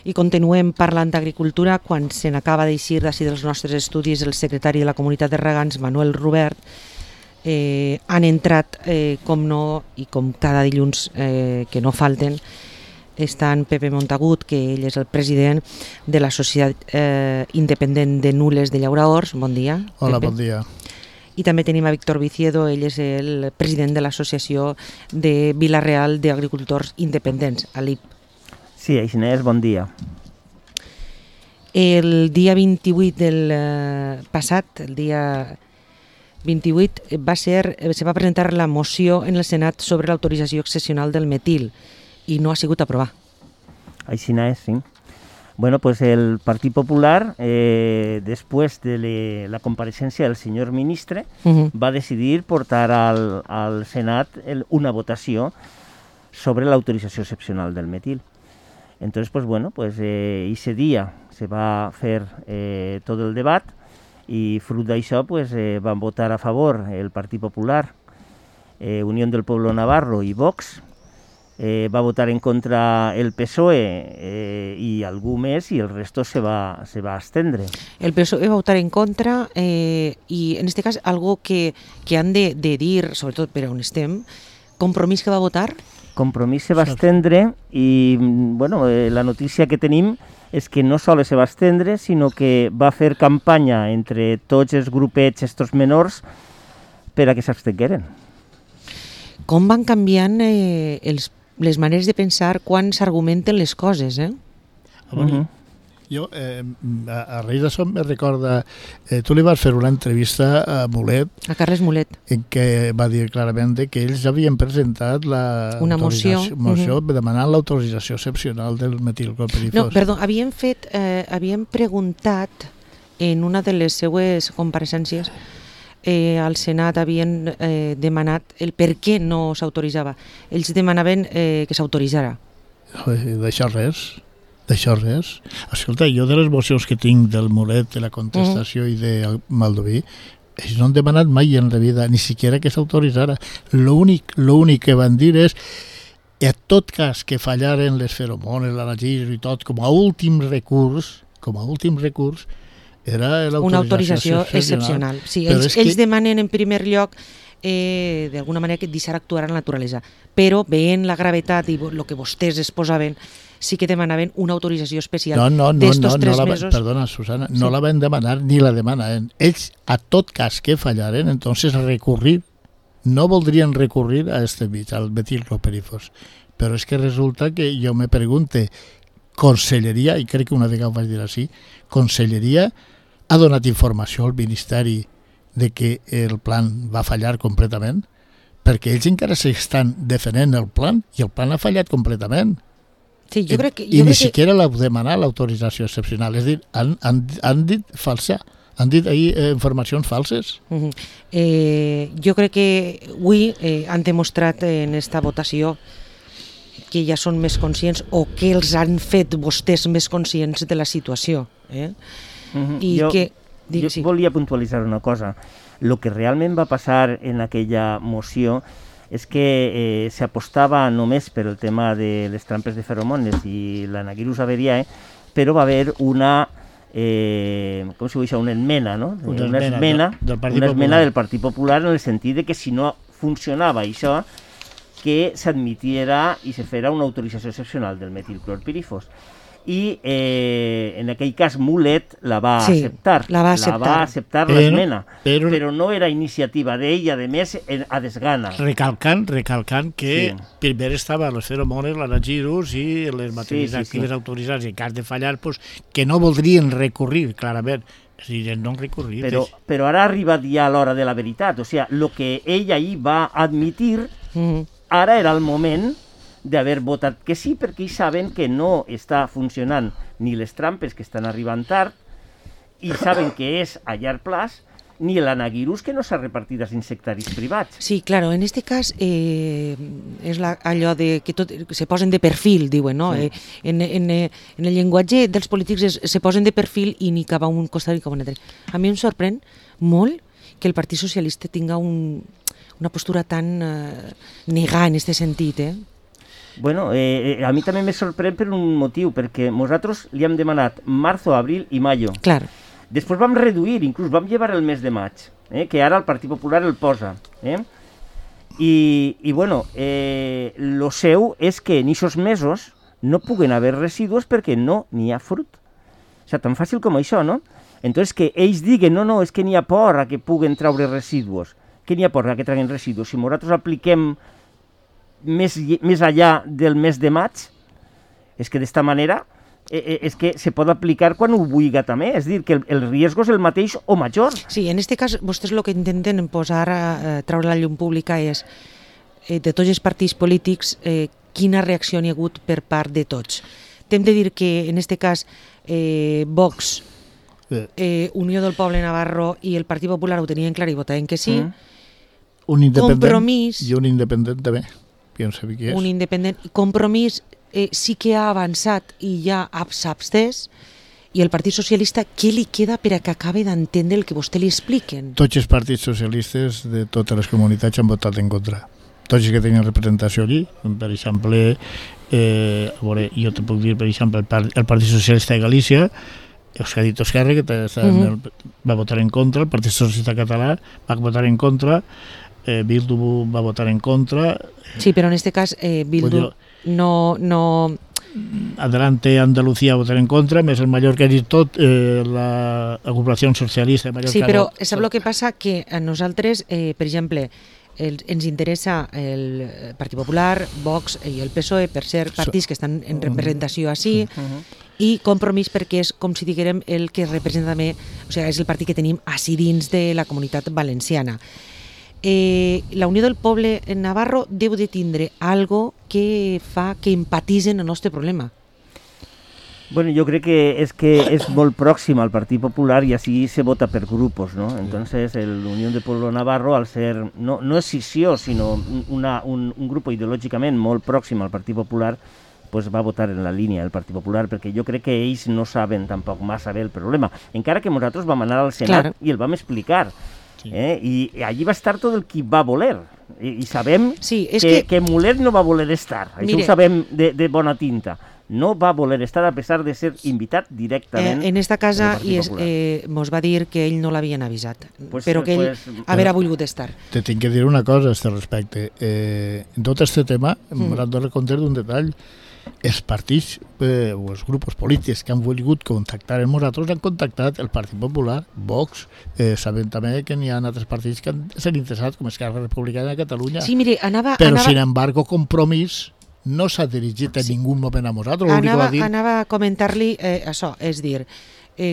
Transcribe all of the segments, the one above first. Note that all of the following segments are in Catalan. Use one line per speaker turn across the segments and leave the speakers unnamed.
I continuem parlant d'agricultura quan se n'acaba d'eixir d'ací dels nostres estudis el secretari de la Comunitat de Regants, Manuel Robert. Han entrat, com no, i com cada dilluns que no falten, estan Pepe Montagut, que ell és el president de la Societat Independent de Nules de Llauraors. Bon dia.
Hola,
Pepe.
bon dia.
I també tenim a Víctor Viciedo, ell és el president de l'Associació de Vila-real d'Agricultors Independents, ALIP.
Sí, Aixinès, bon dia.
El dia 28 del passat, el dia 28, se va presentar la moció en el Senat sobre l'autorització excepcional del metil i no ha sigut aprovat.
Aixinès, sí. Bueno, pues el Partit Popular, después de la compareixença del senyor ministre, va decidir portar al Senat una votació sobre l'autorització excepcional del metil. Entonces, pues bueno, pues ese día se va a hacer todo el debat y fruit d'això pues van votar a favor el Partit Popular, Unión del Pueblo Navarro y Vox. Va votar en contra el PSOE y algú més, y el resto se va a abstendre.
El PSOE va votar en contra i en este cas algo que han de dir, sobretot per on estem, Compromís que va votar?
Compromís se va abstendre i bueno, la notícia que tenim és que no sols se va abstendre, sinó que va fer campanya entre tots els grupets estos menors per a que s'abstengueren.
Com van canviant les maneres de pensar quan s'argumenten les coses,
Jo, a raïs d'això me recorda, tu li vas fer una entrevista a Mulet,
a Carles Mulet,
en què va dir clarament que ells havien presentat
una moció
demanant l'autorització excepcional del metilclorpirifos.
No, perdó, havien preguntat en una de les seues compareixences al Senat, havien demanat el per què no s'autoritzava. Ells demanaven que s'autoritzara.
D'això res. Escolta, jo de les mocions que tinc del Mulet, de la contestació i de Maldoví, ells no han demanat mai en la vida, ni siquiera que s'autoritzara. L'únic que van dir és a tot cas que fallaren les feromones, l'anagir i tot, com a últim recurs, era l'autorització excepcional.
Sí, ells demanen en primer lloc d'alguna manera que deixar actuar a la naturalesa, però veient la gravetat i el que vostès exposaven, sí que demanaven una autorització especial d'estos 3 mesos.
Perdona, Susana, no la van demanar ni la demanaven. Ells, a tot cas que fallaren, entonces no voldrien recurrir a este mig, al metilclorpirifos. Però és que resulta que jo me pregunte, Conselleria, i crec que una vegada ho vaig dir així, Conselleria ha donat informació al Ministeri de que el plan va fallar completament? Perquè ells encara s'estan defendent el plan i el plan ha fallat completament.
Sí, jo crec que,
ni siquiera la demanar l'autorització excepcional. És a dir, han dit falsa. Han dit ahir informacions falses.
Jo crec que avui han demostrat en esta votació que ja són més conscients o que els han fet vostès més conscients de la situació.
Jo volia puntualitzar una cosa. El que realment va passar en aquella moció és que s'apostava només per el tema de les trampes de feromones i l'Anagirus averiae, però va haver una com se diu, una esmena, no? Una esmena del Partit Popular en el sentit de que si no funcionava això, que s'admitiera i se fera una autorització excepcional del metilclorpirifos. I en aquell cas Mulet la va acceptar.
La va acceptar
l'esmena, però no era iniciativa d'ell, a més, a desgana.
Recalcant que primer estaven les feromones, l'anagirus i les matèries actives autoritzades, i en cas de fallar, que no voldrien recurrir, clarament. És a dir, no han recorrit.
Però ara ha arribat ja l'hora de la veritat. O sigui, el que ell ahir va admitir, ara era el moment d'haver votat que sí, perquè ells saben que no està funcionant ni les trampes que estan arribant tard, i saben que és a llarg plaç, ni l'anagirus que no s'ha repartit als insectaris privats.
Sí, claro, en este cas és allò de que tot se posen de perfil, diuen, no? En el llenguatge dels polítics se posen de perfil i ni cap a un costat ni cap a un altre. A mi em sorprèn molt que el Partit Socialista tinga una postura tan negada en aquest sentit,
Bueno, a mi també me sorprèn per un motiu, perquè nosaltres li hem demanat marzo, abril i mayo.
Clar.
Després vam reduir, inclús vam llevar el mes de maig, que ara el Partit Popular el posa. I bueno, lo seu és que en aquests mesos no puguen haver residus perquè no n'hi ha fruit. O sigui, tan fàcil com això, no? Entonces que ells diguen, no, és que n'hi ha por a que puguen treure residus. Que n'hi ha por a que treguin residus. Si nosaltres apliquem més allà del mes de maig, és que d'esta manera és que se pot aplicar quan ho vulgui també, és dir, que el riesgo és el mateix o major.
Sí, en aquest cas vostès el que intenten posar treure la llum pública és de tots els partits polítics quina reacció n'hi ha hagut per part de tots. T'hem de dir que en aquest cas Vox, Unió del Poble Navarro i el Partit Popular ho tenien clar i votaven que sí.
Un independent
Compromís,
i un independent també, que no sé qui és.
Un independent. Compromís sí que ha avançat i ja s'ha abstès. I el Partit Socialista, què li queda per a que acabi d'entendre el que vostè li expliquen?
Tots els partits socialistes de totes les comunitats han votat en contra. Tots els que tenen representació allí, per exemple, jo te puc dir, per exemple, el Partit Socialista de Galícia, els que ha dit Esquerra, que va votar en contra, el Partit Socialista Català va votar en contra, Bildu va votar en contra.
Sí, però en aquest cas Bildu no...
Adelante Andalucía votar en contra, més el Mallorca ha dit tot, l'agrupació socialista de Mallorca...
Sí, però sap el que passa? Que a nosaltres, per exemple, ens interessa el Partit Popular, Vox i el PSOE per ser partits que estan en representació així, i Compromís perquè és, com si diguérem, el que representa també, o sigui, és el partit que tenim així dins de la Comunitat Valenciana. La Unió del Poble en Navarro deu de tindre algo que fa que empatitzen el nostre problema.
Bueno, yo creo que es molt pròxim al Partit Popular y así se vota per grupos, ¿no? Entonces, el Unión del Pueblo Navarro, al ser, no escissió, sinó un grupo ideològicament molt pròxim al Partit Popular, pues va votar en la línia del Partit Popular, perquè jo crec que ells no saben tampoc massa bé el problema. Encara que nosaltres vam anar al Senat i el vam explicar. I allí va estar tot el qui va voler. I sabem que Mulet no va voler estar. Això ho sabem de bona tinta. No va voler estar a pesar de ser invitat directament.
En esta casa mos va dir que ell no l'havien avisat, però que ell haurà volgut estar.
Te tinc que dir una cosa a aquest respecte. En tot aquest tema, m'han de recomptar d'un detall. Els partits o els grups polítics que han volgut contactar amb nosaltres han contactat el Partit Popular, Vox, sabem també que n'hi ha altres partits que s'han interessat, com Esquerra Republicana de Catalunya,
sí, mire,
però sin embargo Compromís no s'ha dirigit en ningú moment a nosaltres.
Anava a comentar-li això, és dir,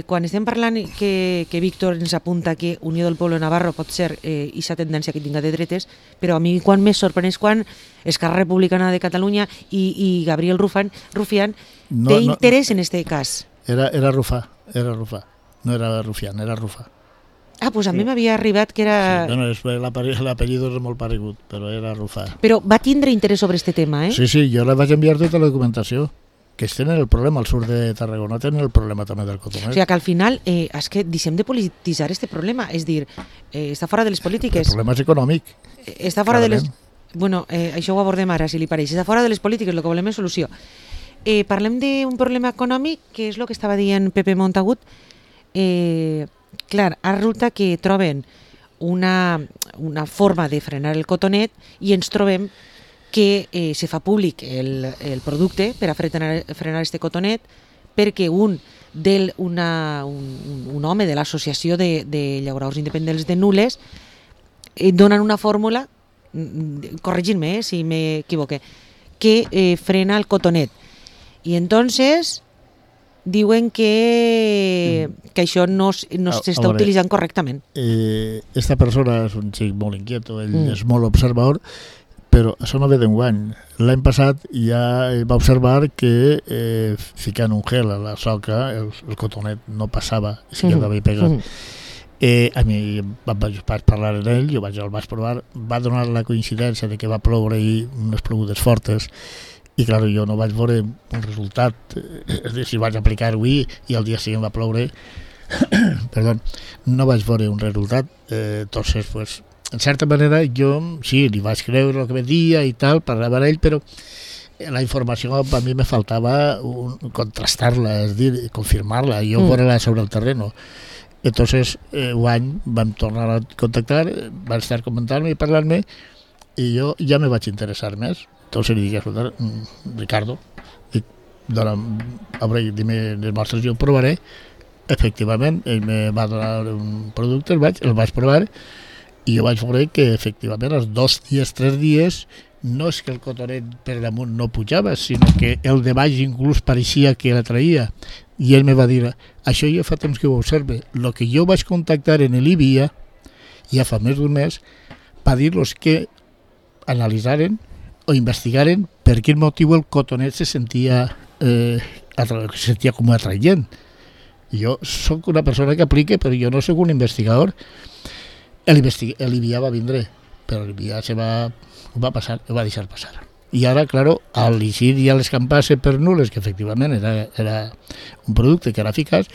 quan estem parlant que Víctor ens apunta que Unió del Poble Navarro pot ser aquesta tendència que tinga de dretes, però a mi quan més sorprèn és quan Esquerra Republicana de Catalunya i Gabriel Rufián té interès en aquest cas.
Era Rufà, no era Rufián, era Rufà.
Ah, doncs a mi m'havia arribat que era...
Sí, bueno, l'apellido és molt paregut, però era Rufà.
Però va tindre interès sobre aquest tema, eh?
Sí, jo la vaig enviar tota la documentació. Que tenen el problema al sud de Tarragona, tenen el problema també del cotonet.
O sigui que al final és que deixem de polititzar aquest problema, és dir, està fora de les polítiques.
El problema és econòmic.
Està fora de les... Bueno, això ho abordem ara, si li pareix. Està fora de les polítiques, el que volem és solució. Parlem d'un problema econòmic, que és el que estava dient Pepe Montagut. Clar, ara resulta que troben una forma de frenar el cotonet i ens trobem que se fa públic el producte per a frenar este cotonet perquè un home de l'associació de llauradors independents de Nules donen una fórmula, corregint-me si m'equivoque, que frena el cotonet. I entonces diuen que això no s'està utilitzant correctament.
Esta persona és un xic molt inquieto, ell és molt observador, però això no ve d'enguany. L'any passat ja va observar que ficant un gel a la soca el cotonet no passava, si quedava hi pegat. A mi vaig parlar amb ell, el vaig provar, va donar la coincidència de que va ploure i unes plogudes fortes i clar, jo no vaig veure un resultat, és a dir, si vaig aplicar avui i el dia següent va ploure, perdó, no vaig veure un resultat, entonces pues en certa manera jo sí, li vaig creure el que me dia i tal, parlava amb ell, però la informació a mi me faltava contrastar-la, és dir, confirmar-la, jo veure-la sobre el terreno. Entonces, un any vam tornar a contactar, van estar comentant-me i parlant-me, i jo ja me vaig interessar més. Entonces li dic, escolta, Ricardo, dime les mostres, jo ho provaré. Efectivament, ell me va donar un producte, el vaig provar, i jo vaig veure que efectivament els 2 dies, 3 dies, no és que el cotonet per damunt no pujava, sinó que el de baix inclús pareixia que l'atraïa. I ell me va dir, això ja fa temps que ho observe. El que jo vaig contactar en l'IBIA, ja fa més d'un mes, va dir-los que analitzaren o investigaren per quin motiu el cotonet se sentia com atraient. Jo sóc una persona que aplica, però jo no sóc un investigador. L'IBIA va vindre, però l'IBIA ho va deixar passar. I ara, claro, al llegir ja les campase per nules, que efectivament era un producte que era eficaç,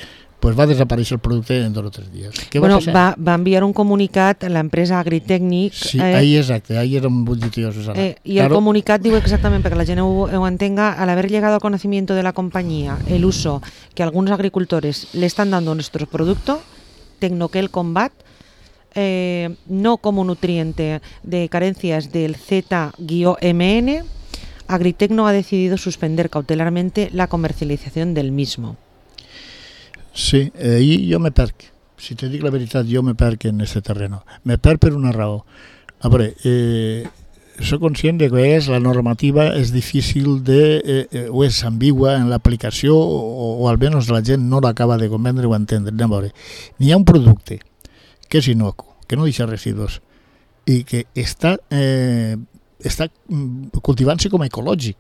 pues va desaparèixer el producte en 2 o 3 dies.
Va enviar un comunicat a l'empresa Agritècnic.
Sí, ahí exacte, ahí era un bullitioso.
Y el comunicat diu exactament, perquè la gent ho entenga, al haber llegado al conocimiento de la compañía el uso que algunos agricultores le están dando a nuestro producto, Tecnoquel Combat, no como nutriente de carencias del Z-MN, Agritecno ha decidido suspender cautelarmente la comercialización del mismo.
Sí, ahí jo me perc. Si te dic la veritat, jo me perc en este terreno. Me perc per una raó. A veure, soc conscient que a vegades la normativa és difícil o és ambigua en l'aplicació o almenys la gent no l'acaba de comprendre o entendre. A veure, n'hi ha un producte que és inocu, que no deixa residus i que està cultivant-se com a ecològic.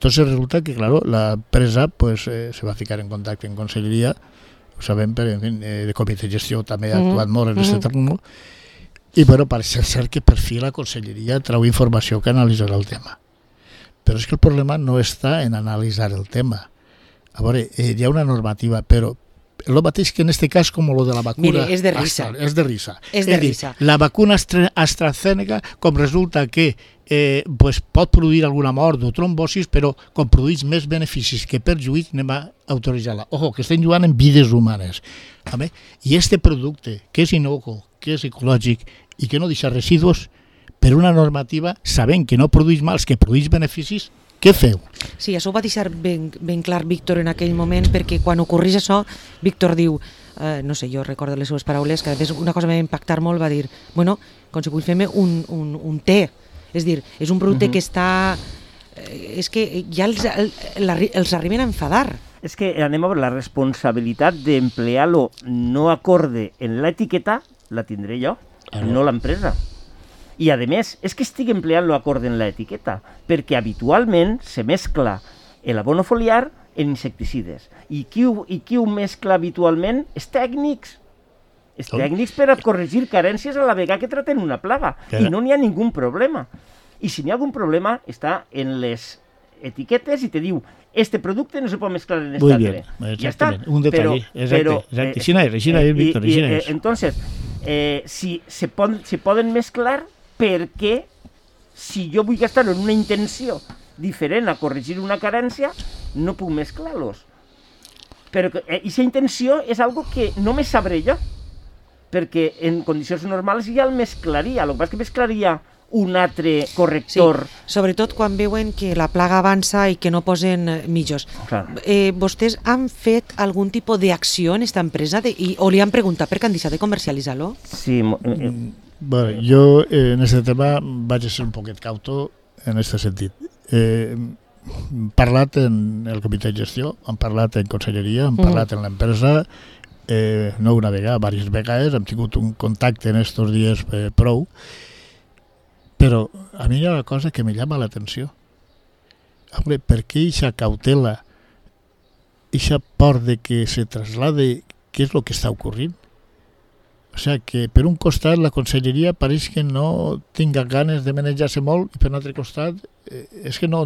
Entonces resulta que, claro, la empresa pues, se va a ficar en contacte en conselleria, ho sabem, però, en fin, de comitè de gestió també ha actuat molt en aquest terreno, i bueno, parece ser que per fi la conselleria trau informació que analitzarà el tema. Però és que el problema no està en analitzar el tema. A veure, hi ha una normativa, però el mateix que en este cas com lo de la vacuna.
Mire, és de risa.
És de risa.
És de risa.
La vacuna AstraZeneca, com resulta que pues pot produir alguna mort o trombosis, però com produeix més beneficis que perjuís, anem a autoritzar-la. Ojo, que estem jugant en vides humanes. I este producte, que és inocu, que és ecològic i que no deixa residus, per una normativa, sabent que no produeix mals, que produeix beneficis, què feu?
Sí, això ho va deixar ben clar Víctor en aquell moment, perquè quan ocorreix això, Víctor diu, no sé, jo recordo les seves paraules, que una cosa que va impactar molt, va dir, bueno, com si vull fer-me un té. És dir, és un producte que està... És que ja els arriben a enfadar.
És que anem a veure, la responsabilitat d'emplear-lo no acorde en l'etiqueta la tindré jo, no l'empresa. I, a més, és que estic empleant-lo acorde en l'etiqueta, perquè habitualment se mescla l'abono foliar en insecticides. I qui ho mescla habitualment? Els tècnics. Els tècnics per a corregir carències a la vegada que traten una plaga. I no n'hi ha ningú problema. I si n'hi ha algun problema, està en les etiquetes i te diu este producte no se pot mesclar en este altre.
Ja està. Un detall. Exacte. Així és, Víctor.
Entonces, si se poden mesclar, perquè si jo vull gastar en una intenció diferent a corregir una carència, no puc mesclar-los. Però aquesta intenció és algo que no me sabré jo, perquè en condicions normals ja el mesclaria, el que passa és que mesclaria un altre corrector.
Sí, sobretot quan veuen que la plaga avança i que no posen mitjos. Vostès han fet algun tipus d'acció en aquesta empresa o li han preguntat per què han deixat de comercialitzar-lo?
Sí. Bueno, jo en aquest tema vaig ser un poquet cauto en aquest sentit. Hem parlat en el comitè de gestió, hem parlat en conselleria, hem parlat en l'empresa, no una vegada, diverses vegades, hem tingut un contacte en aquests dies prou, però a mi hi ha una cosa que me llama l'atenció. Hombre, per què aquesta cautela, aquesta por de que se traslade què és el que està ocorrint? O sigui, que per un costat la conselleria pareix que no tinga ganes de manejar-se molt i per un altre costat és que no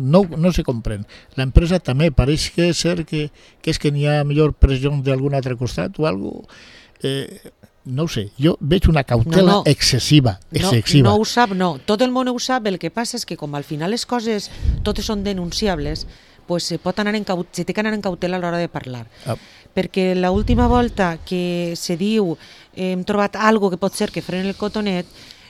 se comprèn. L'empresa també pareix que és que n'hi ha millor pressió d'algun altre costat o alguna cosa. no ho sé, jo veig una cautela excessiva.
No ho sap, no. Tot el món ho sap, el que passa és que com al final les coses totes són denunciables, pues se té que anar en cautela a l'hora de parlar. Perquè l'última volta que se diu hem trobat algo que pot ser que freni el cotonet,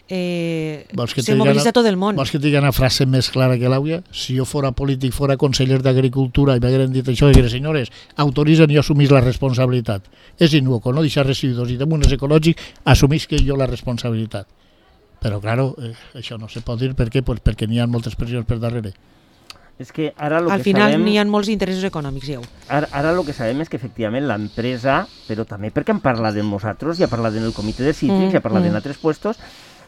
se mobilitza tot el món.
Vols que digui una frase més clara que l'àuia? Si jo fora polític, fora conseller d'Agricultura i m'hagueren dit això, diria, senyores, autoritzen i assumís la responsabilitat. És innocuo, no deixar residus i damunt és ecològic, assumís que jo la responsabilitat. Però, claro, això no se pot dir. Per què? Pues perquè n'hi ha moltes pressions per darrere.
Es que ara lo
al
que
final
sabem,
n'hi ha molts interessos econòmics, ja.
Ara el que sabem és que efectivament l'empresa, però també perquè hem parlat de nosaltres, ja parlat en el comitè de cítrics, ja parlat en altres puestos,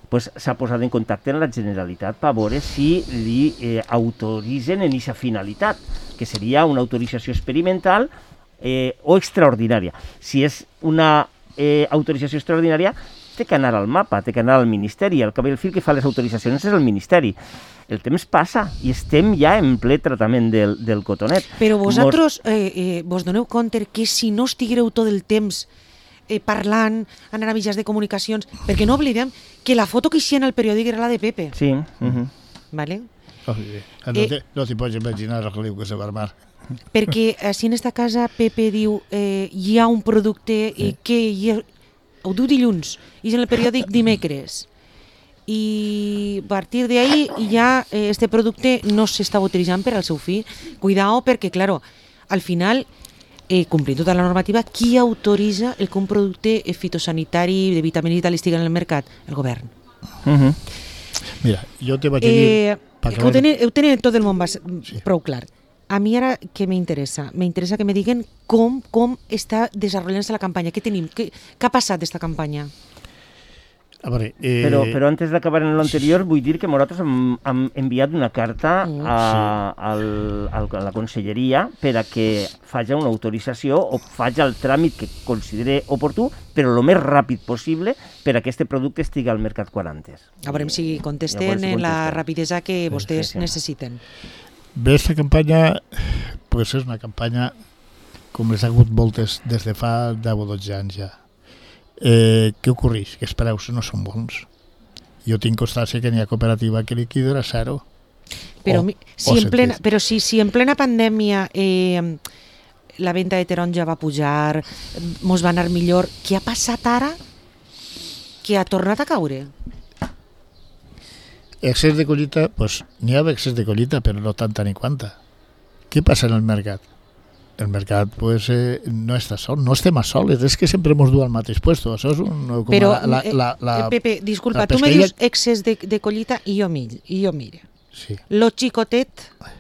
pues s'ha posat en contacte amb la Generalitat per veure si li autoritzen en aquesta finalitat, que seria una autorització experimental o extraordinària. Si és una autorització extraordinària, té que anar al mapa, té que anar al Ministeri. El cap i el fil que fa les autoritzacions és el Ministeri. El temps passa i estem ja en ple tractament del cotonet.
Però vosaltres vos doneu compte que si no estiguereu tot el temps parlant, anar a mitjans de comunicacions, perquè no oblidem que la foto que hi en el periòdic era la de Pepe.
Sí.
Vale?
No t'hi pots imaginar el que se va armar.
Perquè així en esta casa Pepe diu hi ha un producte que ho diu dilluns i és en el periòdic dimecres. I a partir d'ahí ja este producte no s'està utilitzant per al seu fi. Cuidao perquè, claro, al final, complint tota la normativa, qui autoritza el que un producte fitosanitari de vitamina i tal estigui en el mercat? El govern.
Mira, jo te vaig dir...
Ho tenen tot el món prou clar. A mi ara què m'interessa? M'interessa que me diguen com està desenvolupant-se la campanya. Què tenim? Què ha passat d'esta campanya?
A veure,
però antes d'acabar en l'anterior vull dir que nosaltres hem enviat una carta a la conselleria per a que faci una autorització o faci el tràmit que consideri oportú, però el més ràpid possible per a que aquest producte estigui al mercat quan antes.
A veure si contesten en la rapidesa que vostès necessiten.
Bé, aquesta campanya pues és una campanya com les ha hagut moltes des de fa 10 o 12 anys ja. Què ocorreix? Que els preus no són bons. Jo tinc constància que n'hi ha cooperativa que liquida a zero.
Però si en plena pandèmia la venda de taronja va pujar, mos va anar millor, què ha passat ara que ha tornat a caure?
Excés de collita, pues n'hi ha excés de collita, però no tanta ni quanta. Què passa en el mercat? El mercat pues, no està sol, no estem a soles, és que sempre ens du al mateix puesto. Això és com
però, Pepe, disculpa, tu me dius excés de collita i jo mire.
Sí.
Lo xicotet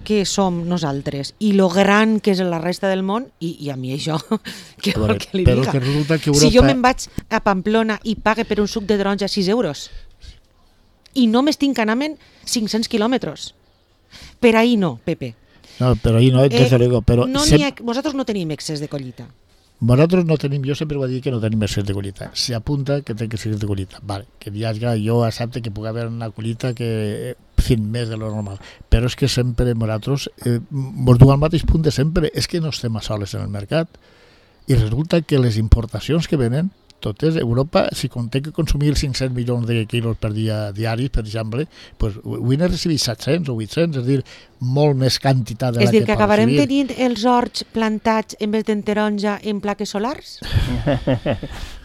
que som nosaltres i lo gran que és la resta del món, i a mi això, què vol que li diga?
Que resulta que Europa...
Si jo me'n vaig a Pamplona i pague per un suc de taronja 6 euros i no m'estic anant 500 quilòmetres, per ahí no, Pepe.
No, però ahí no, desde luego. Però
vosaltres no tenim excés de collita.
Nosaltres no tenim, jo sempre vaig dir que no tenim excés de collita. S'apunta que té que ser de collita. Vale, que jo accepte que pugui haver una collita que més de lo normal. Però és que sempre nosaltres ens du al mateix punt de sempre. És que no estem a soles en el mercat. I resulta que les importacions que venen, totes, Europa, si té que consumir 500 milions de quilos per dia diaris, per exemple, pues, avui n'he recibit 700 o 800, és a dir, molt més quantitat de la que pot recibir. És a dir, que acabarem
tenint els horts plantats en vez de taronja en plaques solars?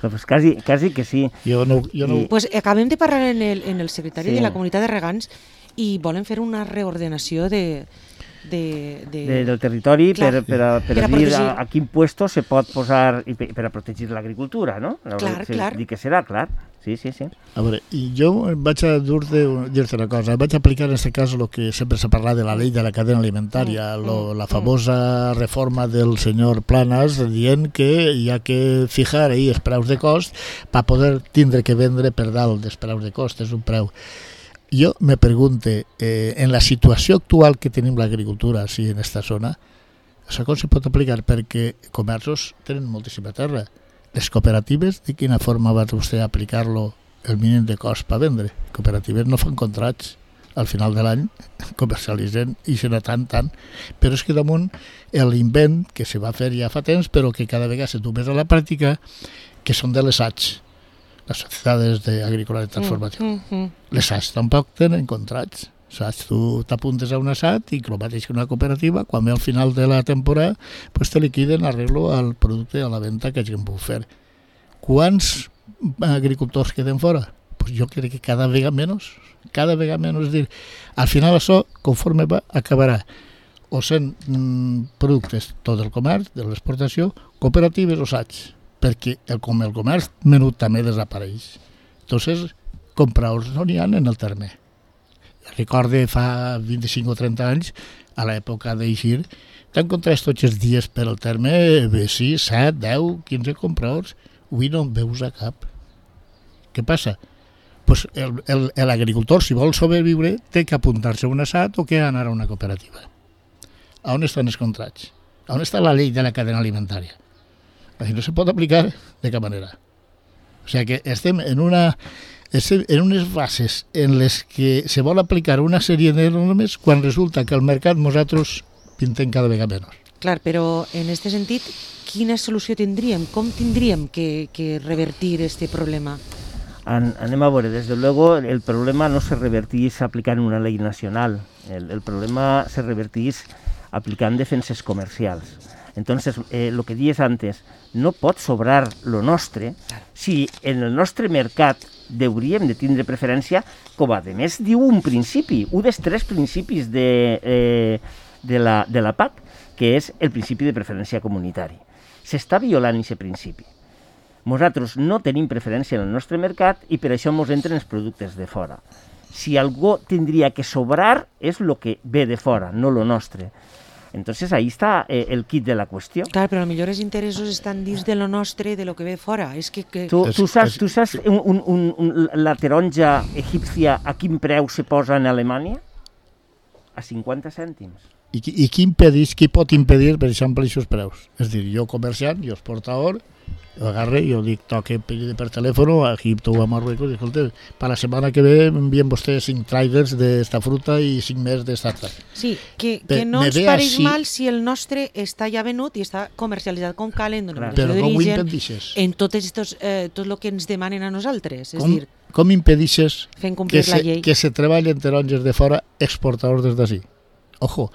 Pues quasi que sí.
Pues acabem de parlar en el secretari de la comunitat de regants i volen fer una reordenació del
territori per a dir a quin puesto se pot posar per a protegir l'agricultura, no?
Clar.
Dic que serà, clar. Sí.
A veure, jo vaig a dir-te una cosa, vaig aplicar en aquest cas el que sempre s'ha parlat de la llei de la cadena alimentària, la famosa reforma del senyor Planas dient que hi ha que fijar ahí els preus de cost per poder tindre que vendre per dalt dels preus de cost, és un preu. Jo me pregunte, en la situació actual que tenim l'agricultura així en aquesta zona, això com se pot aplicar? Perquè comerços tenen moltíssima terra. Les cooperatives, de quina forma va vostè aplicar-lo el mínim de cost per vendre? Cooperatives no fan contrats. Al final de l'any comercialitzen i serà tant. Però és que damunt l'invent que se va fer ja fa temps, però que cada vegada se du més a la pràctica, que són de les ATS. les societats agrícoles de transformació. Les SAT tampoc tenen contrats. Saps? Tu t'apuntes a un assat i el mateix que una cooperativa, quan ve al final de la temporada, pues te liquiden arreglo al producte a la venda que hagin pogut fer. Quants agricultors queden fora? Pues jo crec que cada vegada menys. Cada vegada menys. És dir, al final això, conforme va, acabarà o sent productes tot el comerç, de l'exportació, cooperatives o SATs, perquè el comerç menut també desapareix. Entonces, compradors no n'hi ha en el terme. Recorde fa 25 o 30 anys, a l'època d'eixir, t'encontres tots els dies per al terme 6, 7, 10, 15 compradors. Avui no en veus a cap. Què passa? Pues l'agricultor, si vol sobreviure, té que apuntar-se a un assat o que anar a una cooperativa. A on estan els contrats? A on està la llei de la cadena alimentària? Així no se pot aplicar de cap manera. O sigui que estem en unes bases en les que se vol aplicar una sèrie de normes quan resulta que al mercat nosaltres pintem cada vegada menys.
Clar, però en aquest sentit, quina solució tindríem? Com tindríem que revertir este problema?
Anem a veure, des de luego el problema no se revertís aplicant una llei nacional, el problema se revertís aplicant defenses comercials. Entonces, lo que dies antes, no pot sobrar lo nostre si en el nostre mercat hauríem de tindre preferència, com a més diu un principi, un dels 3 principis de la PAC, que és el principi de preferència comunitari. S'està violant aquest principi. Nosaltres no tenim preferència en el nostre mercat i per això ens entren els productes de fora. Si algú tindria que sobrar és el que ve de fora, no lo nostre. Entonces ahí está el kit de la cuestión.
Claro, pero a lo mejor los intereses están dins de lo nostre, de lo que ve fora. Es que...
Tu saps la taronja egípcia a quin preu se posa en Alemanya? A 50 cèntims.
I qui pot impedir, per exemple, aquests preus? És a dir, jo comerciant, jo exportador, jo agarre i jo dic, toque per telèfon a Egipto o a Marruecos i escolta, per la setmana que ve m'envien vostès 5 trailers d'esta fruta i 5 més d'esta altra.
Sí, que no ens pareix mal si el nostre està ja venut i està comercialitzat com calen,
però com ho impedixes?
En tot el que ens demanen a nosaltres.
Com impedixes
que
se treballen taronges de fora exportadors des d'ací? Ojo,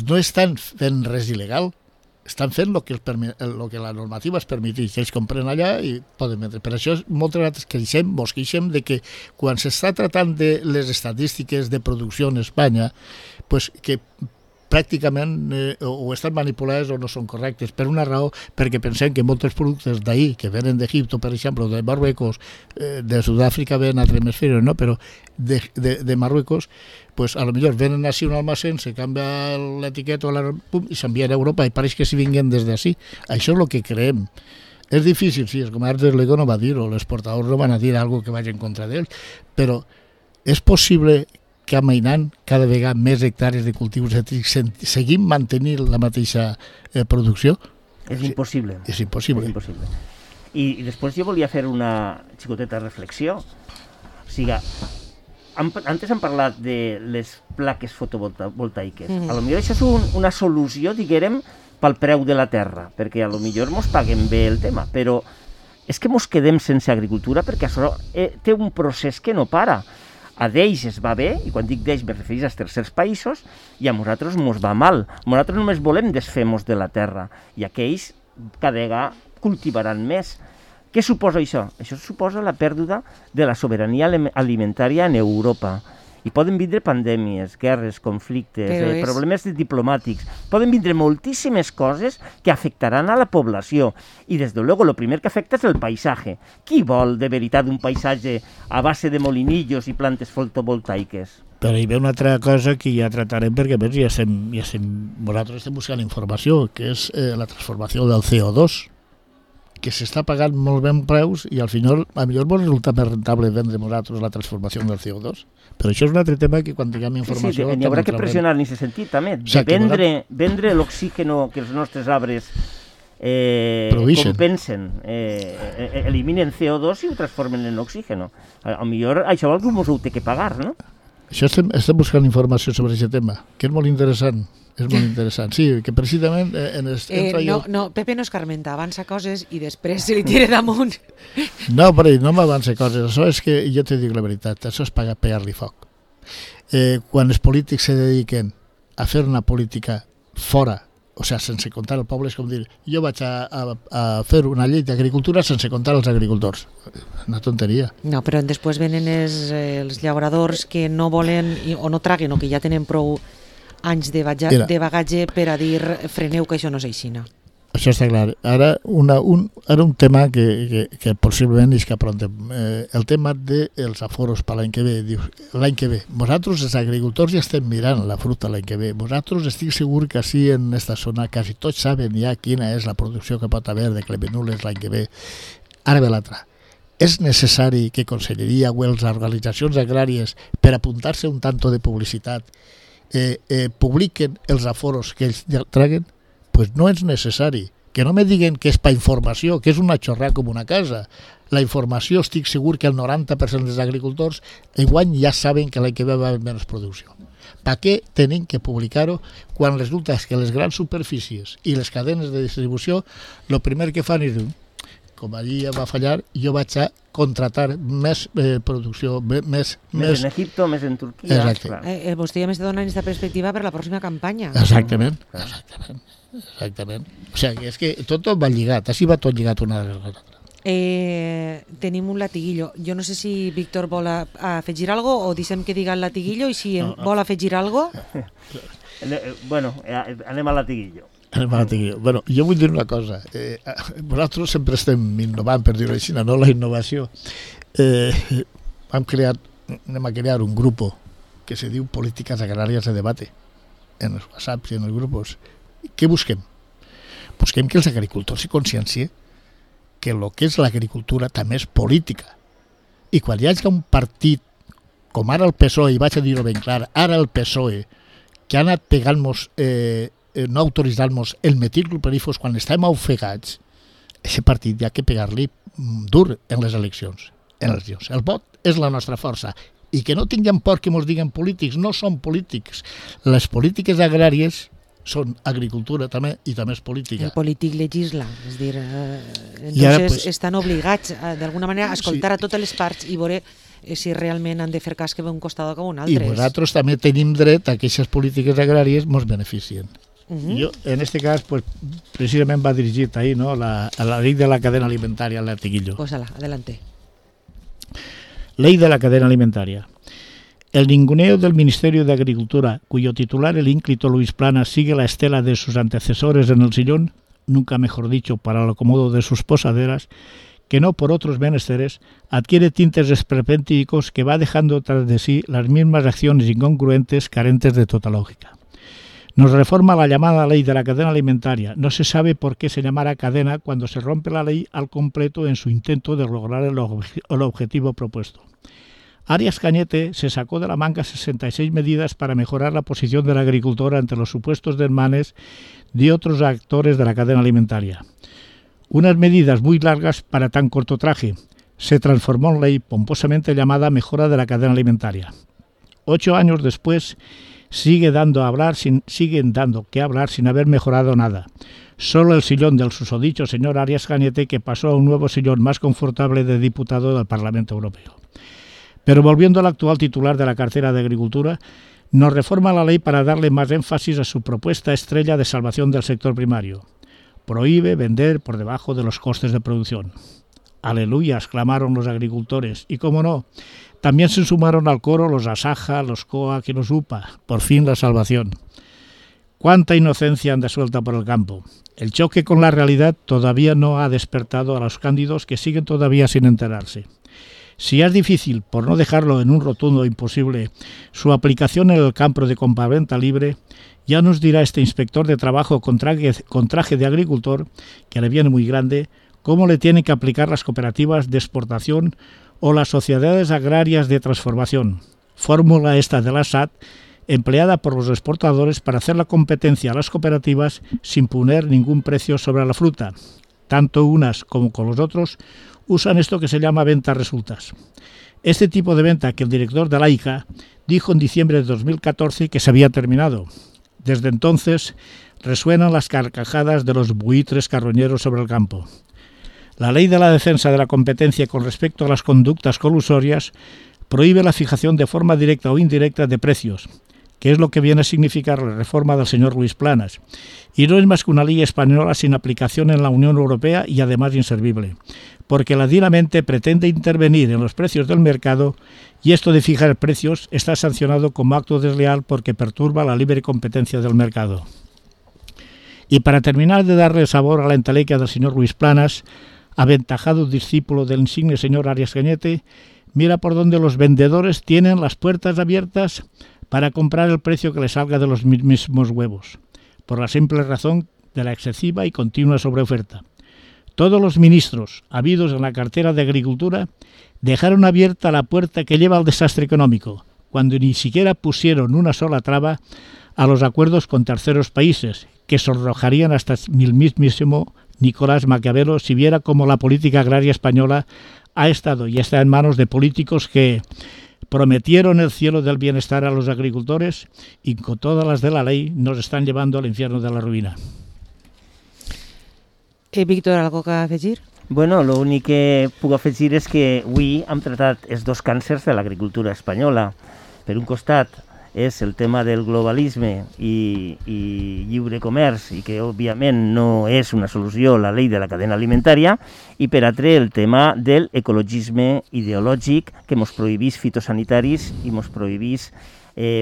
no estan fent res il·legal, estan fent el que la normativa es permeteix. Ells compren allà i poden vendre. Per això moltes vegades mos queixem de que quan s'està tratant de les estadístiques de producció en Espanya, pues que pràcticament o estan manipulades o no són correctes, per una raó, perquè pensem que molts productes d'ahir, que venen d'Egipto, per exemple, de Marruecos, de Sud-àfrica ven a altre hemisferi, no? Però de Marruecos, pues a lo millor venen així un almacén, se canvia l'etiqueta i s'envien a Europa i pareix que s'hi vinguen des d'ací. Això és el que creem. És difícil, sí, el comerç de l'Ego no va dir-ho, els portadors no van a dir alguna que vagi en contra d'ells, però és possible que amainant cada vegada més hectàrees de cultius cítrics seguim mantenint la mateixa producció?
És impossible.
És impossible.
I després jo volia fer una xicoteta reflexió. O sigui, antes hem parlat de les plaques fotovoltaiques. A lo millor això és una solució, diguem, pel preu de la terra, perquè a lo millor mos paguen bé el tema, però és que mos quedem sense agricultura perquè això té un procés que no para. A d'ells es va bé, i quan dic d'ells me refereix als tercers països, i a nosaltres mos va mal. Nosaltres només volem desfer-nos de la terra, i aquells cada vegada cultivaran més. Què suposa això? Això suposa la pèrdua de la sobirania alimentària en Europa. I poden vindre pandèmies, guerres, conflictes, problemes diplomàtics. Poden vindre moltíssimes coses que afectaran a la població. I, des de luego, el primer que afecta és el paisatge. Qui vol, de veritat, un paisatge a base de molinillos i plantes fotovoltaiques?
Però hi ve una altra cosa que ja tratarem, perquè a més nosaltres estem buscant informació, que és la transformació del CO2, que s'està pagant molt ben preus i al final a millor pot resultar més rentable vendre nosaltres la transformació del CO2. Però això és un altre tema que quan tinguem informació...
Sí, n'hi haurà que pressionar en aquest sentit també, de vendre l'oxígeno que els nostres arbres compensen, eliminen CO2 i ho transformen en oxígeno. A millor això algú mos ho té que pagar, no?
Això estem buscant informació sobre aquest tema, que és molt interessant. és molt interessant. Sí, que precisament...
Pepe no escarmenta, avança coses i després se li tira damunt.
No, però no m'avança coses. Això és que, jo te dic la veritat, això és pegar-li foc. Quan els polítics se dediquen a fer una política fora, o sigui, sense comptar el poble, és com dir, jo vaig a fer una llei d'agricultura sense comptar els agricultors. Una tonteria.
No, però després venen els llauradors que no volen o no traguen o que ja tenen prou anys de bagatge per a dir freneu que això no és aixina.
Això està clar. Ara un tema que possiblement és que aprontem. El tema dels aforos per l'any que ve. L'any que ve. Vosaltres, els agricultors, ja estem mirant la fruita l'any que ve. Vosaltres estic segur que així en aquesta zona quasi tots saben ja quina és la producció que pot haver de clemenules l'any que ve. Ara ve l'altra. És necessari que Conselleria o les organitzacions agràries, per apuntar-se un tanto de publicitat, publiquen els aforos que ells traguen? Pues no és necessari. Que no me diguen que és per informació, que és una xorrada com una casa. La informació, estic segur que el 90% dels agricultors enguany ja saben que l'any que ve va haver menys producció. Per què tenen que publicar-ho quan resulta que les grans superfícies i les cadenes de distribució el primer que fan és dir, com allí ja va fallar, jo vaig a contratar més producció, més
en Egipto, més en Turquia.
Vostè ja m'està donant aquesta perspectiva per la pròxima campanya.
Exactament. O sigui, és que tot va lligat, així va tot lligat una de l'altra.
Tenim un latiguillo. Jo no sé si Víctor vol afegir algo o deixem que diga el latiguillo i si vol afegir algo...
Bueno, anem al latiguillo.
Bueno, jo vull dir una cosa. Nosaltres sempre estem innovant, per dir-ho així, no la innovació. Anem a crear un grup que se diu Políticas Agràries de Debate en els WhatsApps i en els grups. Què busquem? Busquem que els agricultors s'hi consciencien que el que és l'agricultura també és política. I quan hi hagi un partit, com ara el PSOE, i vaig a dir-ho ben clar, ara el PSOE, que ha anat pegant-nos... no autoritzar-nos el metilclopirifos quan estem ofegats, aquest partit hi ha que pegar-li dur en les eleccions. El vot és la nostra força. I que no tinguem por que ens diguen polítics, no són polítics. Les polítiques agràries són agricultura també i també és política.
El polític legisla, és dir, entonces estan obligats d'alguna manera a escoltar a totes les parts i veure si realment han de fer cas que ve un costat o un altre.
I nosaltres també tenim dret a que aquestes polítiques agràries ens beneficien. Jo, en este cas, pues, precisament va dirigit ahí, ¿no? a la ley de la cadena alimentaria, al latiguillo.
Pues adelante.
Ley de la cadena alimentaria. El ninguneo del Ministerio de Agricultura, cuyo titular, el ínclito Luis Planas, sigue la estela de sus antecesores en el sillón, nunca mejor dicho, para el acomodo de sus posaderas, que no por otros menesteres, adquiere tintes esperpénticos que va dejando tras de sí las mismas acciones incongruentes, carentes de toda lógica. Nos reforma la llamada ley de la cadena alimentaria. No se sabe por qué se llamará cadena cuando se rompe la ley al completo en su intento de lograr el objetivo propuesto. Arias Cañete se sacó de la manga 66 medidas para mejorar la posición del agricultor ante los supuestos desmanes de otros actores de la cadena alimentaria. Unas medidas muy largas para tan corto traje. Se transformó en ley pomposamente llamada mejora de la cadena alimentaria. 8 años después, siguen dando que hablar sin haber mejorado nada. Solo el sillón del susodicho señor Arias Cañete, que pasó a un nuevo sillón más confortable de diputado del Parlamento Europeo. Pero volviendo al actual titular de la cartera de Agricultura, nos reforma la ley para darle más énfasis a su propuesta estrella de salvación del sector primario. Prohíbe vender por debajo de los costes de producción. Aleluya, exclamaron los agricultores. Y cómo no, también se sumaron al coro los Asaja, los COAC y los UPA. Por fin la salvación. Cuánta inocencia anda suelta por el campo. El choque con la realidad todavía no ha despertado a los cándidos que siguen todavía sin enterarse. Si es difícil, por no dejarlo en un rotundo imposible, su aplicación en el campo de compraventa libre, ya nos dirá este inspector de trabajo con traje de agricultor, que le viene muy grande, cómo le tienen que aplicar las cooperativas de exportación o las sociedades agrarias de transformación. Fórmula esta de la SAT, empleada por los exportadores para hacer la competencia a las cooperativas sin poner ningún precio sobre la fruta. Tanto unas como con los otros usan esto que se llama venta resultas. Este tipo de venta que el director de la ICA dijo en diciembre de 2014 que se había terminado. Desde entonces resuenan las carcajadas de los buitres carroñeros sobre el campo. La ley de la defensa de la competencia con respecto a las conductas colusorias prohíbe la fijación de forma directa o indirecta de precios, que es lo que viene a significar la reforma del señor Luis Planas, y no es más que una ley española sin aplicación en la Unión Europea y además inservible, porque ladinamente pretende intervenir en los precios del mercado y esto de fijar precios está sancionado como acto desleal porque perturba la libre competencia del mercado. Y para terminar de darle sabor a la entelequia del señor Luis Planas, aventajado discípulo del insigne señor Arias Cañete, mira por donde los vendedores tienen las puertas abiertas para comprar el precio que les salga de los mismos huevos, por la simple razón de la excesiva y continua sobreoferta. Todos los ministros habidos en la cartera de Agricultura dejaron abierta la puerta que lleva al desastre económico, cuando ni siquiera pusieron una sola traba a los acuerdos con terceros países, que sonrojarían hasta el mismísimo Nicolás Maquiavelo si viera cómo la política agraria española ha estado y está en manos de políticos que prometieron el cielo del bienestar a los agricultores y con todas las de la ley nos están llevando al infierno de la ruïna.
Víctor, algo que afegir?
Bueno, l'únic que puc afegir és que avui hem tratat els dos càncers de l'agricultura espanyola. Per un costat és el tema del globalisme i lliure comerç, i que òbviament no és una solució la llei de la cadena alimentària, i per altre el tema del ecologisme ideològic que mos prohibís fitosanitaris i mos prohibís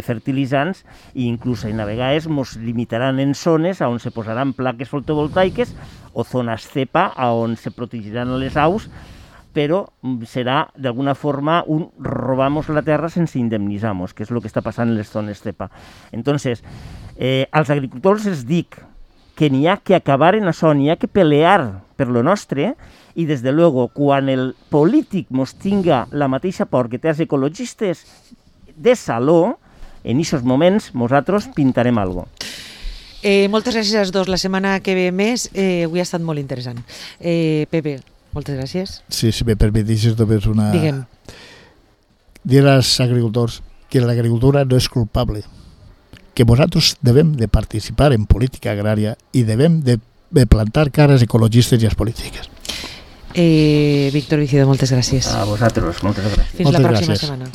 fertilitzants i inclús a vegades mos limitaran en zones on se posaran plaques fotovoltaiques o zones cepa on se protegiran les aus, però serà d'alguna forma un robamos la terra sense indemnitzamos, que és el que està passant en les zones cepa. Entonces, als agricultors els dic que n'hi ha que acabar en això, n'hi ha que pelear per lo nostre, i des de luego, quan el polític mos tinga la mateixa por que té els ecologistes de saló, en aquests moments nosaltres pintarem alguna cosa.
Moltes gràcies als dos. La setmana que ve més, avui ha estat molt interessant. Pepe, moltes gràcies.
Sí, si me permiteixes només una...
Digue'm.
Dir als agricultors que l'agricultura no és culpable, que nosaltres devem de participar en política agrària i devem de plantar cares ecologistes i les polítiques.
Víctor Vicido, moltes gràcies.
A vosaltres, moltes gràcies.
Fins la pròxima setmana.